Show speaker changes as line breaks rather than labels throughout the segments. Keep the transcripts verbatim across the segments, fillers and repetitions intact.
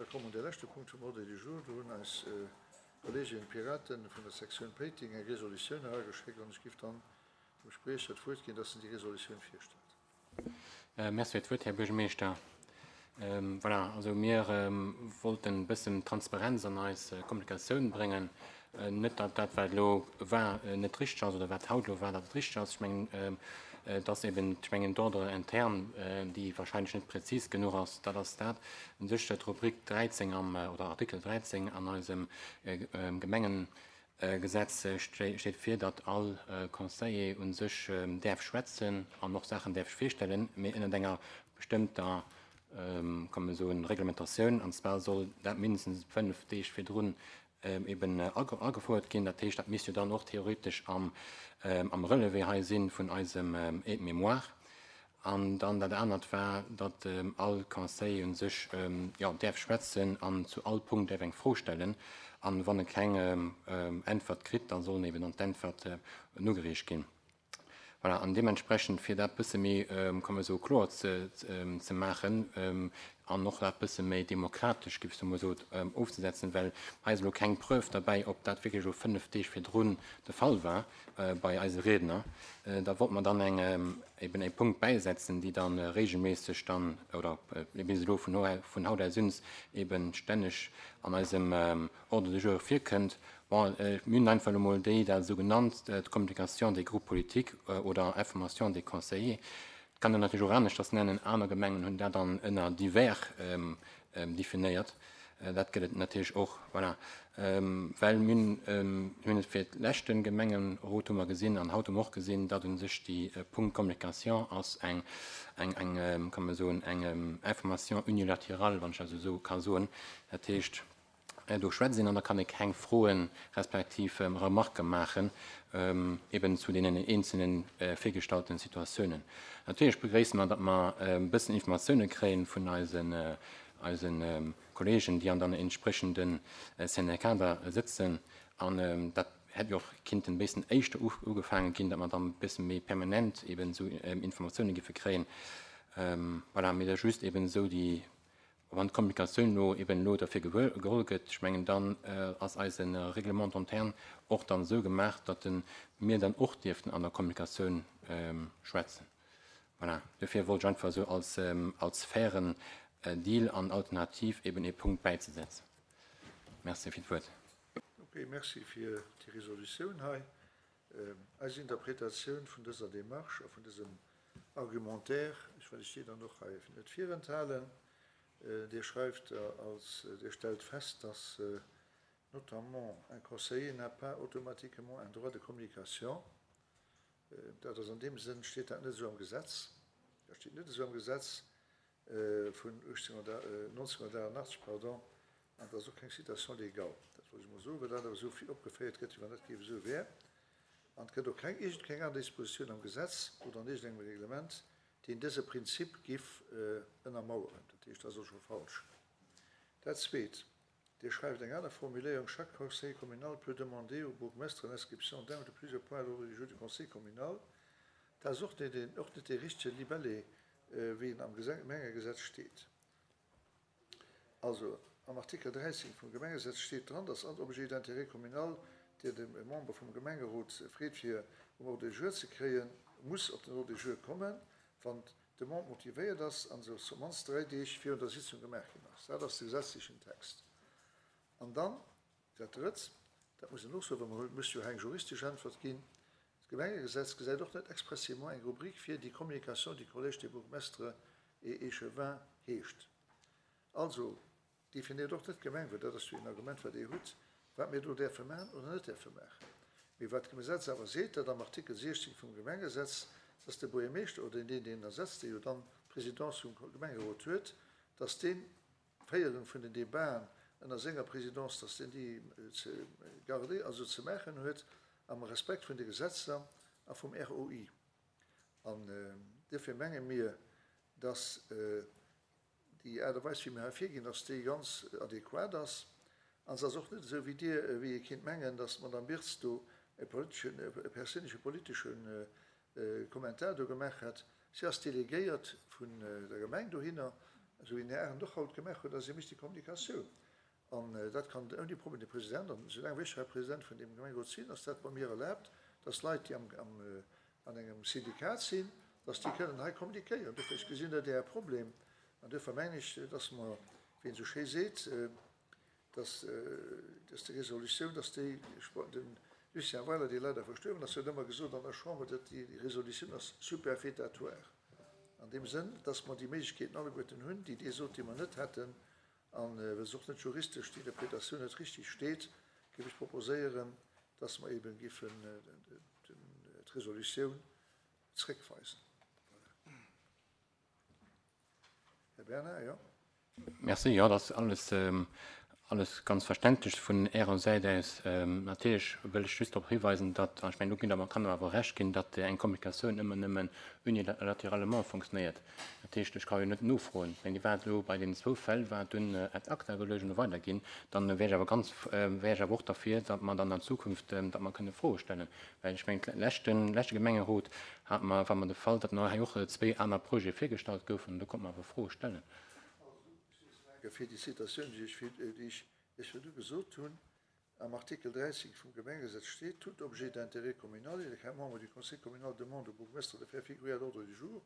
Da komme mer un de leschte Punkt vum Ordre du jour. Do hunn eis Kolleegen Piraten vun der Sektioun Péiteng eng Resolutioun erageschéckt an ech giff dann dem Spriecher d'Wuert ginn, dass en déi Resolutioun virstellt.
Merci fir d'Wuert, Här Buergermeeschter. Voilà, also mir wollten e bëssen Transparenz an eis Kommunikatioun bréngen. Net, datt dat, wat elo war, net richteg ass oder wat haut elo war, datt et richteg ass. Ech mengen, et ass eben, ech mengen, d'Ordre interne, déi wahrscheinlech net prezis genuch ass. Dat ass dat u sech, d'Rubrik dräizéng am, oder Artikel dräizéng an eisem Gemengegesetz steet vir, datt all Conseiller u sech däerf schwätzen an och Saachen däerf virstellen, mee ënnert enger bestëmmter, kann man soen, Reglementatioun, an zwar soll dat mindestens fënnef Deeg virdrun eben agefouert ginn. Dat heescht, dat misst jo dann och theoretesch am am Relevé hei sinn vun eisem Aide-mémoire. An dann dat anert war, datt all Conseiller u sech, jo, däerf schwätzen an zu all Punkt däerf eng Fro stellen. An wann e keng Äntwert kritt, da soll eben dann d'Äntwert nogereecht ginn. Voilà, an deementsprechend, fir dat bësse méi, kann man soen, kloer ze, ze maachen an och dat bësse méi demokratesch, géif ech emol soen, ofzesetzen, well hei ass elo keng Preuve derbäi, ob dat wierklech elo fënnef Deeg virdrun de Fall war bei eise Riedner. Da wollte mer dann eng, eben e Punkt bäisetzen, déi dann regelméisseg dann, oder bis elo vun vun haut aus un eben stänneg an eisem Ordre du jour virkënnt. Bon, mir hunn einfach elo mol déi dat esou genannt, d'Communication des groupes politiques oder Information des conseillers. Et kann een natierlech och aneschters nennen. Aner Gemengen hunn dat dann ënner divers definéiert. Dat gëtt et natierlech och. Voilà. Well mir hunn, mir hunn et fir d'leschte Gemengerot hu mer gesinn an haut hu mer och gesinn, datt u sech déi Punkt Communication ass eng, eng, eng, kann man soen, eng Information unilatérale, wann ech dat esou ka soen. Dat heescht, do schwätzt een an da kann ee keng Froen respektiv Remarque maachen, eben zu deenen eenzelne virgestallten Situatiounen. Natierlech begréisse mer, datt mer e bëssen Informatioune kréien vun eisen, eisen Kollegen, déi an dann entsprechende Syndicater sëtzen. An dat hätt jo och kinnten e bëssen éischter ugefaange ginn, datt mer dann e bësse méi permanent eben esou Informatioune giffe kréien. Voilà, mee dat ass just eben esou déi, wann d'Kommunikatioun elo eben elo derfir geholl gëtt, ech mengen, dann ass eise Règlement interne och dann esou gemaach, datt mir dann och dierften an der Kommunikatioun schwätzen. Voilà, dofir wollt ech einfach esou als, als fairen Deal an Alternativ eben ee Punkt bäizesetzen. Merci fir d'Wuert.
Ok, merci fir déi Resolutioun hei. Eis Interpretatioun vun dëser Démarche a vun dësem Argumentaire, ech well ech déi dann och hei net virenthalen. Dir schreift als, Dir stellt fest, dass notamment un conseiller n'a pas automatiquement un droit de communication. Dat ass an deem Sënn, steet dat net esou am Gesetz. Dat steet net esou am Gesetz vun neunzehnhundertachtundachtzeg, pardon, an dat ass och keng Citation légale. Dat wollt ech mol soen, well dat awer esou vill opgeféiert gëtt, wéi wann dat géif esou wär. An et gëtt och keng, iergendkeng aner Dispositioun am Gesetz oder an iergendengem Reglement, deen dëse Prinzip giff ënnermaueren. Dat heescht, dat ass och scho falsch. Dat Zweet, Dir schreift eng aner Formuléierung, Chaque conseiller communal peut demander au bourgmestre l'inscription d'un ou de plusieurs points à l'ordre du jour du conseil communal. Dat ass och net deen, och net dee richtege Libellé, wéi en am Gemengegesetz steet. Also am Artikel dräizéng vum Gemengegesetz steet dran, dass all Objet d'intérêt communal, deen de Member vum Gemengerot freet fir um Ordre du jour ze kréien, muss op den Ordre du jour kommen, wann d'Demande motivéiert ass an se op d'mannst dräi Deeg virun der Sitzung gemaach ginn ass. Dat ass de gesetzlechen Text. An dann dat Drëtt, dat muss een och soen, well mer muss jo hei eng juristesch Äntwert ginn, D'Gemengegesetz gesäit och net expressément eng Rubrik vir, déi Communication du collège des bourgmestres et échevins heescht. Also definéiert och net d'Gemeng, well dat ass jo een Argument, wat Dir hutt, wat mir do däerfe maachen oder net däerfe maachen. Mee wat d'Gesetz awer seet, dat am Artikel siechzéng vum Gemengesetz, dass de Buergermeeschter oder deen, deen en ersetzt, dee jo dann d'Presidence vum Gemengerot huet, dass deen d'Féierung vun den Debaten ënner senger Présidence, dass deen déi ze garder, also ze maachen huet, am Respekt vun de Gesetzer a vum R O I. An duerfir menge mir, dass déi Aart a Weis, wéi mir hei virginn, dass déi ganz adequat ass. An se ass och net esou, wéi Dir, wéi ee kinnt mengen, dass d'Madame Birtz do e politeschen, e perséinleche politesche Kommentar do gemaach hätt. Si ass delegéiert vun der Gemeng dohinner. Esou wéi den Här Arendt och haut gemaach huet, ass e mécht déi Kommunikatioun. An dat kann ouni Problem de President, an soulaang wéi ech hei President vun deem Gemengerot sinn, ass dat bei mir erlaabt, dass Leit, déi am, am, an engem Syndikat sinn, dass déi kënnen hei kommunikéieren. Dofir, ech gesinn net Äre Problem. An duerfir mengen ech, dass mer, wéi een esou schéi seet, dass, dass déi Resolutioun, dass déi, de Lucien Weiler, dee leider verstuerwen ass, huet ëmmer gesot an der Chamber, datt déi Resolutioun ass superfétatoire. An deem Sënn, dass mer déi Méiglechkeeten alleguerten hunn, déi Dir sot, déi mer net hätten, a well se och net juristesch, déi Interpretatioun net richtig steet, géif ech proposéieren, dass mer eeben géifen d'Resolutioun zréckweisen. Voilà. Här Bernard, jo.
Merci. Jo, dat ass alles, alles ganz verständlech vun Ärer Säit aus. Natierlech wëll ech just drop hiweisen, datt, an ech mengen, do ginn der mer, kann der awer Recht ginn, datt eng Kommunikatioun ëmmer nëmmen unilateralement funktionéiert. Dat heescht, ech ka jo net nofroen. Ech mengen, déi war elo bei deenen zwou Fäll war dunn ad acta geluecht an weiderginn. Dann wär ech awer ganz, wär ech awer och derfir, datt mer dann an Zukunft, datt mer kënne Froe stellen. Well ech mengen, leschten, leschte Gemengerot hat mer, war mer de Fall, datt nach hei och zwee aner Projete virgestallt goufen, do konnte mer awer Froe stellen.
Fir déi Citatioun, déi ech fir, déi ech Iech virdu gesot hunn, am Artikel dräizéng vum Gemengegesetz steet, Tout objet d'intérêt communal et qu'un membre du Conseil communal demande au bourgmestre de faire figurer à l'ordre du jour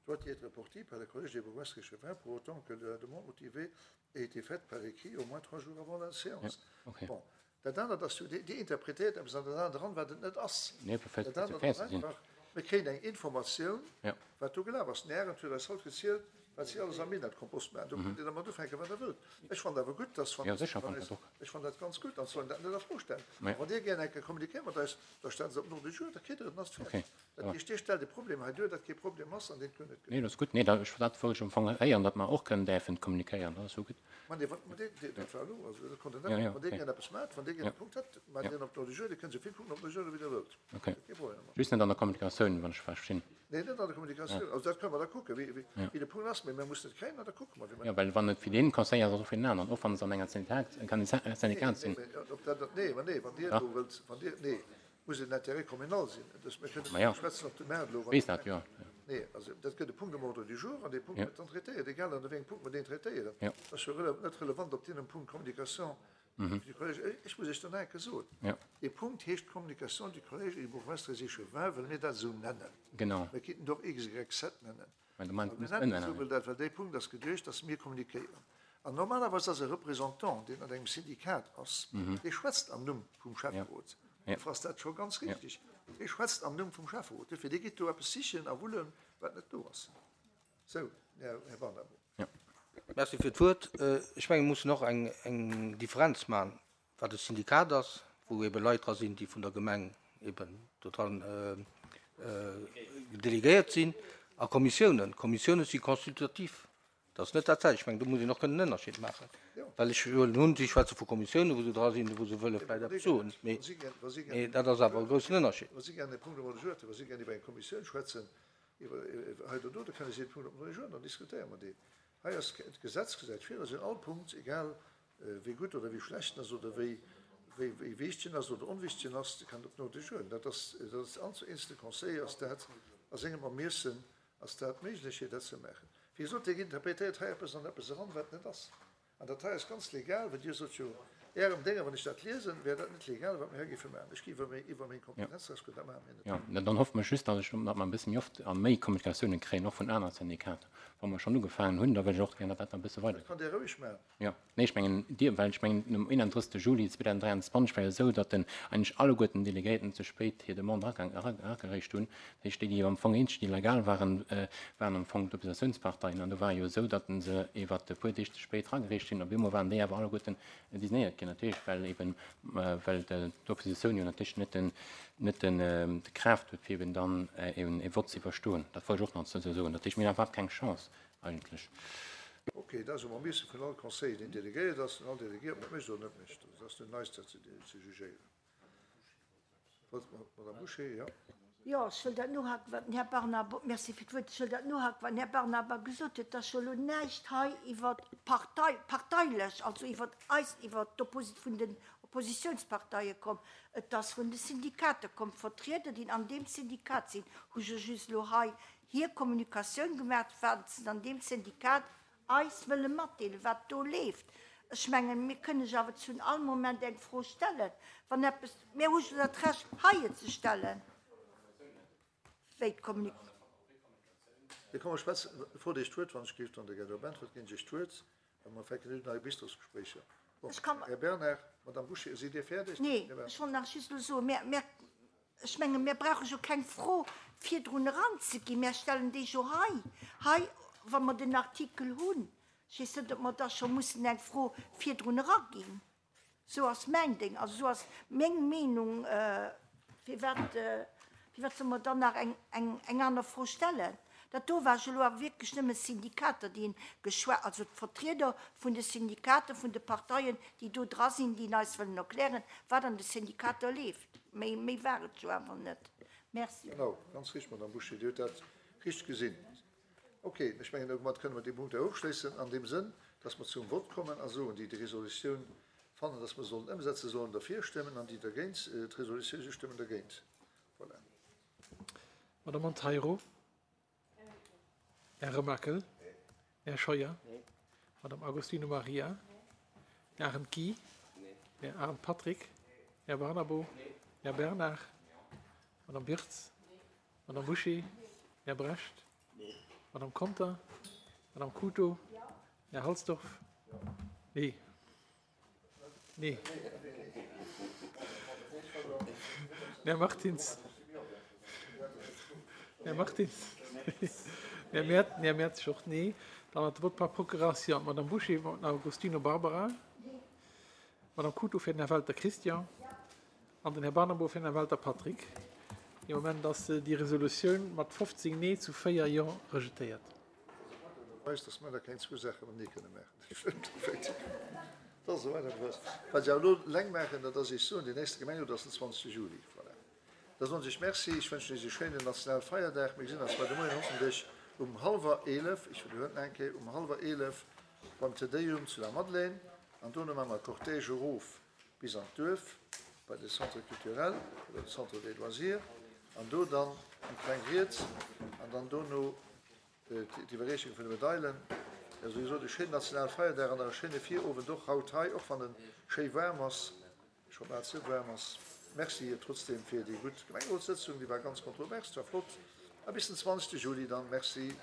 doit y être porté par le Collège des bourgmestres et échevins pour autant que la demande motivée ait été faite par écrit au moins trois jours avant la séance.
Ja, okay.
Bon, dat anert ass jo, Dir, Dir interpretéiert eppes an dat anert eran, wat et net ass.
Nee, perfekt,
Dat anert
fir
ass
ze sinn.
einfach, mir kréien eng Informatioun,
Ja.
wat do gelaf ass. Den Arendt huet eis haut gezielt, wat si alles am Minett-Kompost maachen. Do kënnt Dir dermat ufänken, wat Der wëllt. Ech fannen awer gutt, dass, wann,
Ja, sécher,
wann
fannt
eis,
dat och.
ech fannen dat ganz gutt, an sollen dat net a Fro stellen.
Ja.
Wann Dir gär eng Kéier kommunikéiert mat eis, da stellen se op den Ordre du jour, da kritt Der et, dann ass et fäerdeg.
Okay,
Dat
ja.
heescht, Dir stellt e Problem hei duer, dat kee Problem ass an deen et guer net gëtt.
Nee, dat ass gutt. Nee, dat, ech, dat wollt ech am Fong héieren, datt mer och kënnen däerfen kommunikéieren. Dat ass jo gutt.
Ma nee, wann, ma dee, dee, dat war elo, also dat konnt Der net.
Ja, ja,
Wann Dir
okay.
gär eppes maacht, wann Dir gär
Ja.
e Punkt hätt, maacht
Ja.
Dir en op den Ordre du jour, Dir kënnt esou vill Punkten op den Ordre du jour, wéi Der wëllt.
Okay.
Kee Problem.
Just net an der Kommunikatioun, wann ech verstinn.
Nee, net an der Kommunikatioun.
Ja.
Also dat kënne mer da kucken, wéi, wéi,
Ja.
wéi de Punkt ass, mee mir mussen et kréien, an da kucke mer, wéi mer
Ja, well wann et fir den Conseil ass, och fir den aneren, och wann se an enger Syndikat, kann e Syndikat
Nee,
sinn.
nee, ob dat, nee, ma nee, wann Dir
Ja.
do wëllt, wann Dir, nee, muss et en Intérêt communal sinn. Das, mir kënnen
Ma ja.
schwätzen op de Maart elo, wann
Weess dat, ja.
Nee, also dat gëtt e Punkt um Ordre du jour, an dee Punkt
Ja.
gëtt dann traitéiert, egal an wéi engem Punkt mer deen traitéieren.
Ja.
Dat ass jo rele net relevant, ob deen um Punkt Communication
Mhm.
du Collège, ech muss Iech dann eng Kéier soen.
Ja.
Dee Punkt heescht Communication du Collège des bourgmestres et échevins, well mir dat esou nennen.
Genau.
Mir kéinten doch X, Y, Z nennen.
Well du meinst,
Mir
muss
nennen
ëmnennen.
esou, well dat, well dee Punkt ass geduecht, dass mir kommunikéieren. An normalerweis ass e Représentant, deen an engem Syndikat ass,
Mhm.
dee schwätzt am Numm vum Schäfferot.
Ja.
Du ass dat scho ganz
Ja.
richtig. Dee schwätzt am Numm vum Schäfferot. Dofir, dee geet do eppes sichen a wullen, wat net do ass. Sou, Här, Här Barnabo.
Ja.
Merci fir d'Wuert. Ech menge muss nach eng, eng Differenz maachen, wat e Syndikat ass, wou ebe Leit dra sinn, déi vun der Gemeng eben total äh, äh, delegéiert sinn, a Kommissiounen. Kommissiounen si consultativ. Dat ass net dat selwecht. Ech mengen, do muss een nach kënnen en Ënnerscheed maachen.
Ja.
Well ech huelen hunn, si schwätze vu Kommissiounen, wou se dra sinn, wou se wëlle vläicht eppes soen. Mee,
Wa si gär, wa si gär,
mee dat ass awer e groussen Ënnerscheed.
wa si gär e Punkt um Ordre du jour hätten, wa si gär iwwer eng Kommissioun schwätzen, iwwer, iwwer hei oder do, da kënne si de Punkt op den Ordre du jour, dann diskutéiere mer deen. Hei ass d'Gesetz gesäit vir, dass in all Punkt, egal äh, wéi gutt oder wéi schlecht ass oder wéi, wéi, wéi wichteg ass oder onwichteg ass, kann op den Ordre du jour. Dat ass, dat ass all eenzelne Conseiller ass dat a sengem Ermiessen ass dat méiglech, dat ze maachen. Wéi gesot, Dir interpretéiert hei eppes an eppes eran, wat net ass. An dat hei ass ganz legal, well Dir sot jo, Ärem Dénger, wann ech dat liesen, wär dat net legal, wat mir hei géife maachen. Ech gi iwwer meng, iwwer meng Kompetenz raus, dat maache mir net.
Ja, na, dann hoffe mer just, dass ech, datt mer e bësse méi oft a méi Kommunikatiounen kréien, och vun anere Syndikater. Wa mer schonn ugefaangen hunn, da wëll ech och gär, datt dat e bësse weider
Dat kann Dir roueg maachen.
Ja, nee, ech mengen, Dir, well ech mengen, um einunddrëssegste Juli zweedausenddräianzwanzeg war jo esou, datt den eigentlech alleguerten Delegéierten ze spéit hir Demande eragereecht hunn. Dat heescht, déi, déi am Fong eenzeg, déi legal waren, äh, waren am Fong d'Oppositiounsparteien. An do war jo esou, datt se iwwer e puer Deeg ze spéit eragereecht hunn. Op eemol waren déi awer alleguerten designéiert ginn, natierlech, well eben, äh, well d'Oppositioun jo natierlech net den, net den, äh, de Kraaft huet, fir eben dann äh, eben e Vott ze iwwerstoen. Dat wollt ech och nach ze soen. Dat heescht, mir hunn iwwerhaapt keng Chance eigentlech.
Okay, dat ass um Ermiesse vun all Conseiller, deen delegéiert ass, an all Delegéiert mat mécht oder net mécht. Dat ass nun neist, dat ze, ze jugéieren. Wat, Madame Boucher, ja.
Ja, ech wëll dat nohaken, wat den Här Barnabo, merci fir d'Wuert, ech wëll dat nohaken, wat den Här Barnaba gesot huet, dass scho lo näischt hei iwwer Partei, parteilech, also iwwer eis, iwwer d'Opposit vun den Oppositionsparteie komm, et ass vun de Syndikater komm, Vertrieder, déi an deem Syndikat sinn, hu jo just lo hei hir Kommunikatioun gemaach, wat se an deem Syndikat eis wëlle matdeelen, wat do leeft. Ech mengen, mir kënne jo awer zu all Moment eng Fro stellen, wann eppes, mir hu jo dat Recht, hei ze stellen. Wéi d'Kommunik.
Mir komme schwätzen, bevor Dir d'Wuert, wann ech géif dann der Gerda Bentfort ginn, ech d'Wuert, a mer fänken un nei Bistrosgespréicher. Bon,
Ech kann.
Här Bernard, Madame Bouché, sidd Dir fäerdeg?
Nee, ech wollt nach just elo soen, mir, mir, ech menge mir brauche jo keng Fro virdrun eranzeginn, mir stellen déi jo hei, hei, wa mer den Artikel hunn. Ech weess net, ob mer da scho mussen eng Fro virdrun eraginn. Sou ass mäin Ding, also sou ass meng Meenung. Firwat, firwat solle mer dann nach eng, eng, eng aner Fro stellen? Dat do war jo elo awer wierklech nëmme Syndikater, déi geschwat, also d'Vertrieder vun de Syndikater, vun de Parteien, déi do dra sinn, déi eis wëllen erklären, wat an de Syndikater leeft. Méi, méi war et jo awer net. Merci.
Genau, ganz richteg, Madame Bouché, Dir hutt dat richteg gesinn. Ok, ech mengen, domat kënne mer dee Punkt hei ofschléissen, an deem Sënn, dass mer zum Vott kommen a soen, déi déi Resolutioun fannen, dass mer sollen ëmsetzen, sollen derfir stëmmen, an déi dergéint d'Resolutioun si stëmmen dergéint. Voilà.
Madame Monteiro. Här Remakel. Här Scheuer. Madame Agostino Maria. Här Arendt Guy. Här Arendt Patrick. Här Barnabo. Här Bernard. Madame Wirtz. Madame Bouché. Här Brecht. Madame Conter. Madame Couto. Här Halsdorf. Nee. Nee. Här Martins. Här Martins. Här Mer Här Mertz och nee. Dann huet de Vote par procuration d'Madame Bouché, Madame Agostino Barbara, Madame Couto fir den Här Welter Christian an den Här Barnabo fir den Här Welter Patrick. Dee Moment ass déi Resolutioun mat fofzéng Nee zu véier Jo rejetéiert.
Weis, dass mer da keng zwou Saache matenee kënne maachen. Dat ass esou einfach. Wat ech awer elo eleng maachen, dat ass Iech soen, deen nächste Gemengerot ass den zwanzegste Juli. Voilà. Da soen ech Iech Merci. Ech wënschen Iech e schéinen Nationalfeierdag. Mir gesinn eis bei de Moien hoffentlech um hallwer eelef, ech widderhuelen nach eng Kéier, um hallwer eelef beim Te Deum zu der Madeleine. An dono maache mer e Cortège erof bis an d'Duerf bei de Centre culturel oder de Centre des loisirs an do dann eng kleng Ried an dann dono d'Iwwerreechung vun de Medailen. Also wéi gesot, e schéinen Nationalfeierdag an nach e schéine Virowend och haut hei, och wann en schéi waarm ass, scho bal ze waarm ass. Merci trotzdem fir déi gutt Gemengerotssëtzung, déi war ganz kontrovers, war flott. A bis den zwanzegste Juli dann. Merci.